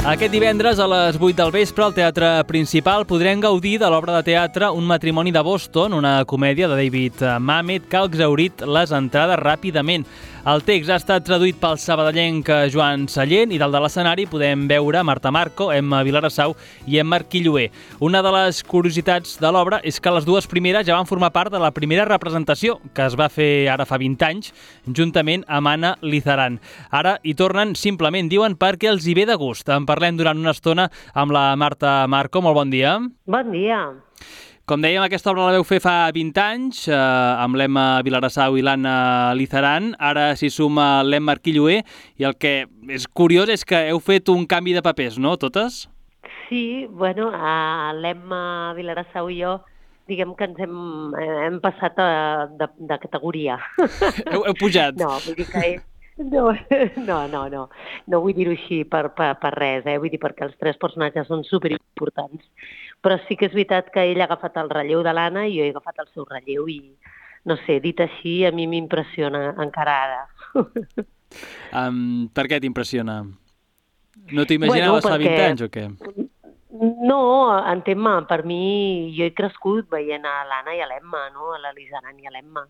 Aquest divendres a les 8 del vespre al Teatre Principal podrem gaudir de l'obra de teatre Un matrimoni de Boston, una comèdia de David Mamet que ha exhaurit les entrades ràpidament. El text ha estat traduït pel sabadellenc Joan Sallent i dalt de l'escenari podem veure Marta Marco, Emma Vilarassau i Emma Arquilloé. Una de les curiositats de l'obra és que les dues primeres ja van formar part de la primera representació, que es va fer ara fa 20 anys, juntament amb Anna Lizaran. Ara hi tornen simplement, diuen, perquè els hi ve de gust. En parlem durant una estona amb la Marta Marco. Molt bon dia. Bon dia. Com dèiem, aquesta obra la veu fer fa 20 anys, amb l'Emma Vilarassau i l'Anna Lizaran. Ara s'hi suma l'Emma Arquilloé i el que és curiós és que heu fet un canvi de papers, no, totes? Sí, bueno, l'Emma Vilarassau i jo, diguem que ens hem passat de categoria. Heu pujat? No, vull dir que no vull dir-ho així per res, vull dir perquè els tres personatges són superimportants, però sí que és veritat que ell ha agafat el relleu de l'Anna i jo he agafat el seu relleu i, no sé, dit així, a mi m'impressiona encara ara. Per què t'impressiona? No t'ho imaginaves fa 20 anys o què? No, entén-me, per mi, jo he crescut veient a l'Anna i a l'Emma, no? A la Lizaran i a l'Emma,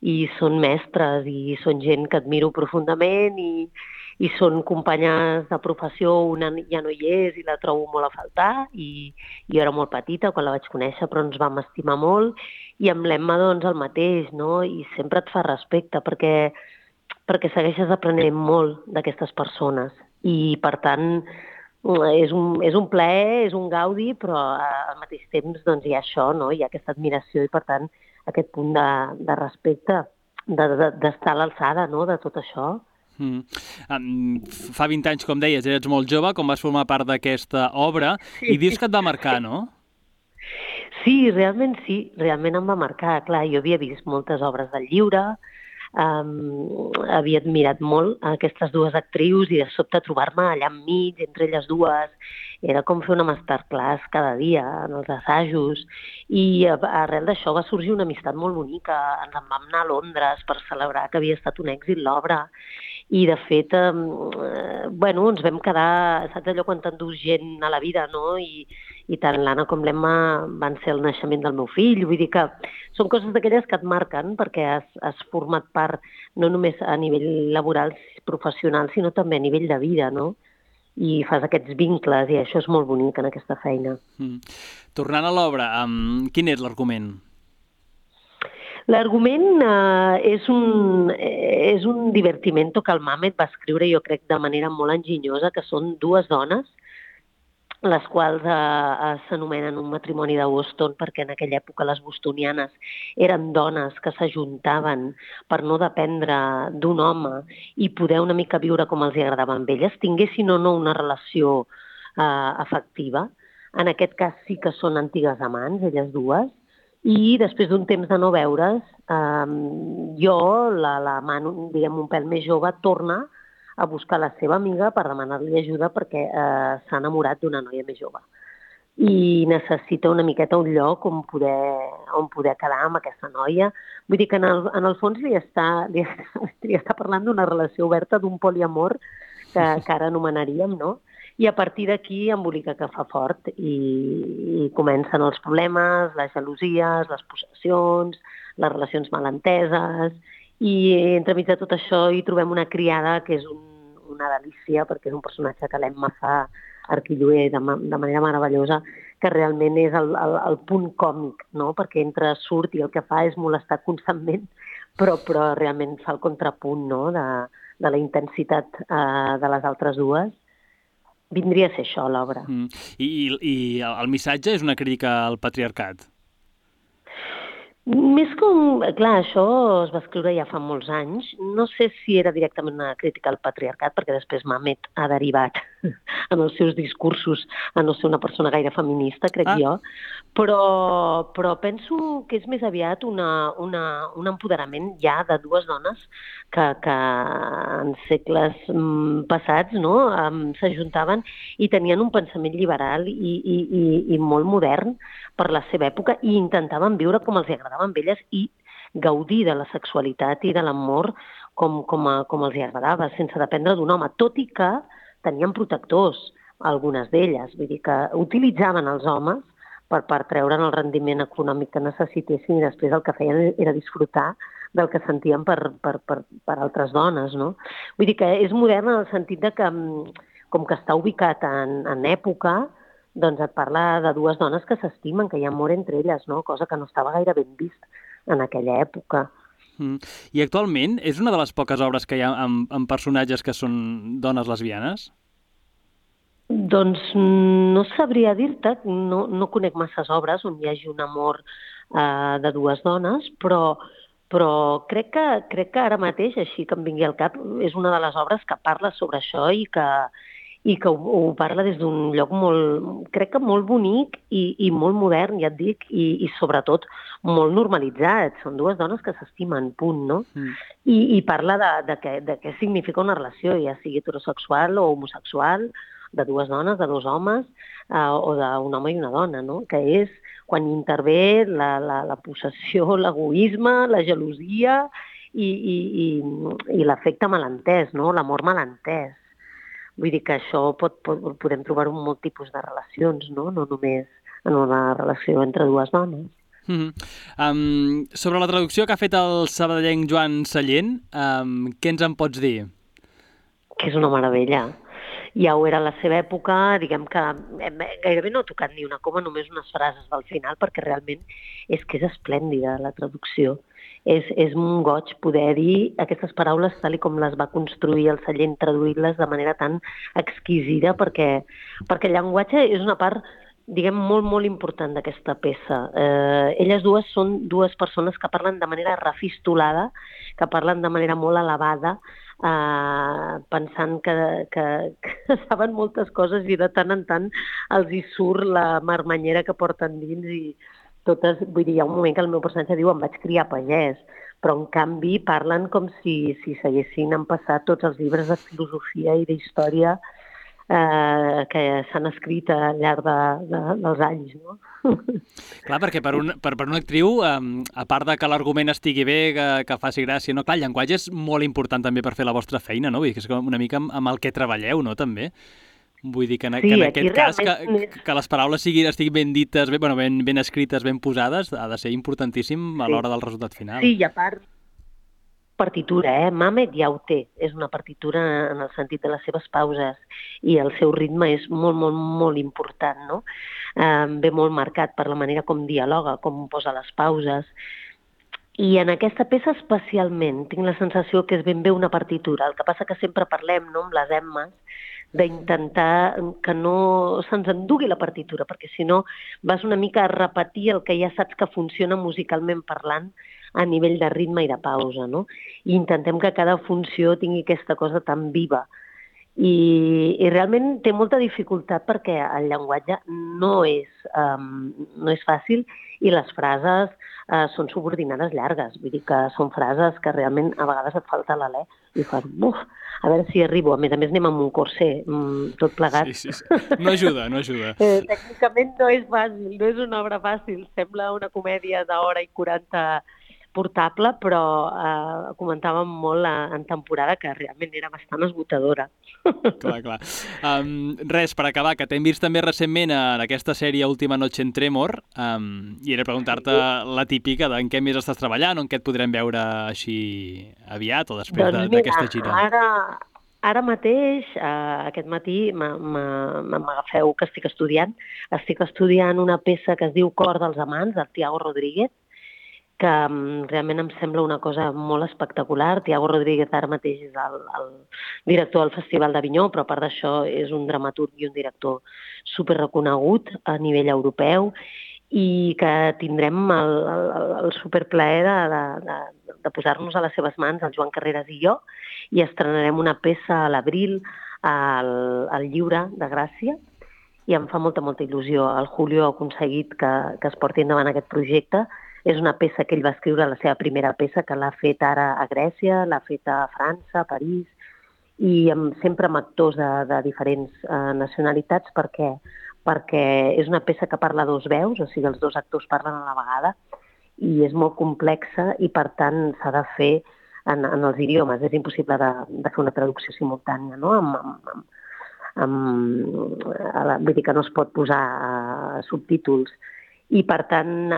i són mestres i són gent que admiro profundament i són companyes de professió, una ja no hi és i la trobo molt a faltar i jo era molt petita quan la vaig conèixer però ens vam estimar molt i amb l'Emma doncs el mateix, no? I sempre et fa respecte perquè segueixes aprenent molt d'aquestes persones i per tant és un plaer, és un gaudi, però al mateix temps doncs, hi ha això, no? Hi ha aquesta admiració i per tant aquest punt de respecte, d'estar a l'alçada, no?, de tot això. Fa 20 anys, com deies, eres molt jove, com vas formar part d'aquesta obra, i dius que et va marcar, no? Sí, realment em va marcar. Clar, jo havia vist moltes obres del llibre, havia admirat molt aquestes dues actrius i de sobte trobar-me allà enmig, entre elles dues, era com fer una masterclass cada dia en els assajos i arrel d'això va sorgir una amistat molt bonica. Ens en vam anar a Londres per celebrar que havia estat un èxit l'obra i de fet ens vam quedar, saps allò quan t'endús gent a la vida, no? I tant l'Anna com l'Emma van ser el naixement del meu fill, vull dir que són coses d'aquelles que et marquen perquè has format part no només a nivell laboral, professional, sinó també a nivell de vida, no? I fas aquests vincles i això és molt bonic en aquesta feina. Tornant a l'obra, quin és l'argument? L'argument és un divertimento que el Mamet va escriure, jo crec, de manera molt enginyosa, que són dues dones, les quals s'anomenen Un matrimoni de Boston perquè en aquella època les bostonianes eren dones que s'ajuntaven per no dependre d'un home i poder una mica viure com els agradava amb elles, tinguessin o no una relació afectiva. En aquest cas sí que són antigues amants, elles dues, i després d'un temps de no veure's, jo, la mano, diguem, un pèl més jove, torna a buscar la seva amiga per demanar-li ajuda perquè s'ha enamorat d'una noia més jove. I necessita una miqueta un lloc on poder quedar amb aquesta noia. Vull dir que en el fons li està parlant d'una relació oberta, d'un poliamor que ara anomenaríem, no? I a partir d'aquí embolica que fa fort i comencen els problemes, les gelosies, les possessions, les relacions malenteses. I entremig de tot això hi trobem una criada que és una delícia perquè és un personatge que l'Emma fa Arquilloé de manera meravellosa, que realment és el punt còmic, no? Perquè entra, surt i el que fa és molestar constantment, però realment fa el contrapunt, no? de la intensitat de les altres dues. Vindria a ser això, l'obra. I el missatge és una crítica al patriarcat? Més com... Clar, això es va escriure ja fa molts anys. No sé si era directament una crítica al patriarcat, perquè després Mamet ha derivat en els seus discursos a no ser una persona gaire feminista, crec jo, però penso que és més aviat un empoderament ja de dues dones que en segles passats, no, s'ajuntaven i tenien un pensament liberal i molt modern per la seva època i intentaven viure com els agradava amb elles i gaudir de la sexualitat i de l'amor com els agradava, sense dependre d'un home, tot i que tenien protectors. algunes d'elles. Vull dir que utilitzaven els homes per treure'n el rendiment econòmic que necessitessin i després el que feien era disfrutar del que sentien per altres dones, no? Vull dir que és modern en el sentit de que, com que està ubicat en època, doncs et parla de dues dones que s'estimen, que hi ha amor entre elles, no? Cosa que no estava gaire ben vist en aquella època. I actualment és una de les poques obres que hi ha amb personatges que són dones lesbianes? Doncs no sabria dir-te, no conec masses obres on hi hagi un amor de dues dones, però crec que ara mateix, així que em vingui al cap, és una de les obres que parla sobre això i que ho parla des d'un lloc crec que molt bonic i molt modern, ja et dic, i sobretot molt normalitzat. Són dues dones que s'estimen, punt, no? I parla de què significa una relació, ja sigui heterosexual o homosexual, de dues dones, de dos homes, o d'un home i una dona, no? Que és quan intervé la possessió, l'egoisme, la gelosia i l'afecte malentès, no? L'amor malentès. Vull dir que això podem trobar-ho en molt tipus de relacions, no? No només en una relació entre dues dones. Sobre la traducció que ha fet el sabadellenc Joan Sallent, què ens en pots dir? Que és una meravella. Ja ho era a la seva època, diguem que gairebé no ha tocat ni una coma, només unes frases del final, perquè realment és que és esplèndida la traducció. És un goig poder dir aquestes paraules tal com les va construir el Sallent, traduir-les de manera tan exquisida, perquè el llenguatge és una part, diguem, molt, molt important d'aquesta peça. Elles dues són dues persones que parlen de manera refistolada, que parlen de manera molt elevada, pensant que saben moltes coses i de tant en tant els hi surt la marmanyera que porten dins i totes, vull dir, hi ha un moment que el meu personatge diu em vaig criar pagès, però en canvi parlen com si s'haguessin empassat tots els llibres de filosofia i d'història que s'han escrit al llarg dels anys, no? Clar, perquè per una actriu, a part de que l'argument estigui bé, que faci gràcia, no? Clar, el llenguatge és molt important també per fer la vostra feina, no? Vull dir que és una mica amb el que treballeu, no? També. Vull dir que en aquest cas, que les paraules estiguin ben dites, ben escrites, ben posades, ha de ser importantíssim a l'hora del resultat final. Sí, i a part, partitura, Mamet ja ho té. És una partitura en el sentit de les seves pauses i el seu ritme és molt, molt, molt important, no? Ve molt marcat per la manera com dialoga, com posa les pauses. I en aquesta peça especialment tinc la sensació que és ben bé una partitura. El que passa que sempre parlem, no?, amb les Emmes, d'intentar que no se'ns endugui la partitura, perquè si no vas una mica a repetir el que ja saps que funciona musicalment parlant a nivell de ritme i de pausa, no? I intentem que cada funció tingui aquesta cosa tan viva. I realment té molta dificultat perquè el llenguatge no és fàcil i les frases són subordinades llargues. Vull dir que són frases que realment a vegades et falta l'alè i fas, buf, a veure si arribo. A més anem amb un corser tot plegat. Sí. No ajuda. Tècnicament no és fàcil, no és una obra fàcil. Sembla una comèdia d'hora i 40 portable, però comentàvem molt en temporada que realment era bastant esgotadora. Clar. Res, per acabar, que t'hem vist també recentment en aquesta sèrie Última noche en Tremor, i era preguntar-te la típica en què més estàs treballant o en què et podrem veure així aviat o després d'aquesta gira. Ara mateix, aquest matí, m'agafeu que estic estudiant. Estic estudiant una peça que es diu Cor dels amants, del Tiago Rodríguez, que realment em sembla una cosa molt espectacular. Tiago Rodríguez ara mateix és el director del Festival d'Avinyó, però a part d'això és un dramaturg i un director superreconegut a nivell europeu i que tindrem el superplaer de posar-nos a les seves mans, el Joan Carreras i jo, i estrenarem una peça a l'abril al Lliure de Gràcia, i em fa molta il·lusió. El Julio ha aconseguit que es porti endavant aquest projecte. És una peça que ell va escriure, la seva primera peça, que l'ha fet ara a Grècia, l'ha fet a França, a París, i sempre amb actors de diferents nacionalitats, perquè és una peça que parla dos veus, o sigui, els dos actors parlen a la vegada, i és molt complexa i, per tant, s'ha de fer en els idiomes. És impossible de fer una traducció simultània, no?, vull dir que no es pot posar subtítols. I, per tant,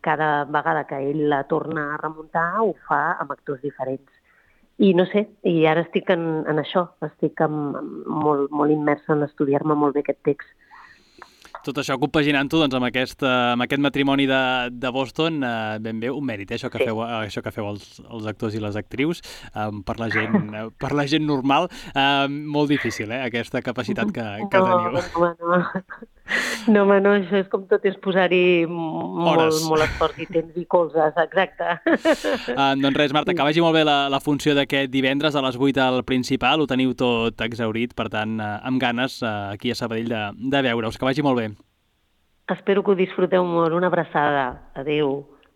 cada vegada que ell la torna a remuntar ho fa amb actors diferents. I no sé, i ara estic en això, estic molt, molt immersa en estudiar-me molt bé aquest text. Tot això compaginant-ho doncs, amb aquest matrimoni de Boston, ben bé un mèrit, això que feu els actors i les actrius, per la gent normal, molt difícil, aquesta capacitat que teniu. No, això és com tot, és posar-hi molt esforç i temps i colzes, exacte. Doncs res, Marta, que vagi molt bé la funció d'aquest divendres a les 8 al Principal, ho teniu tot exhaurit, per tant, amb ganes aquí a Sabadell de veure-us. Que vagi molt bé. Espero que ho disfruteu molt. Una abraçada. Adéu.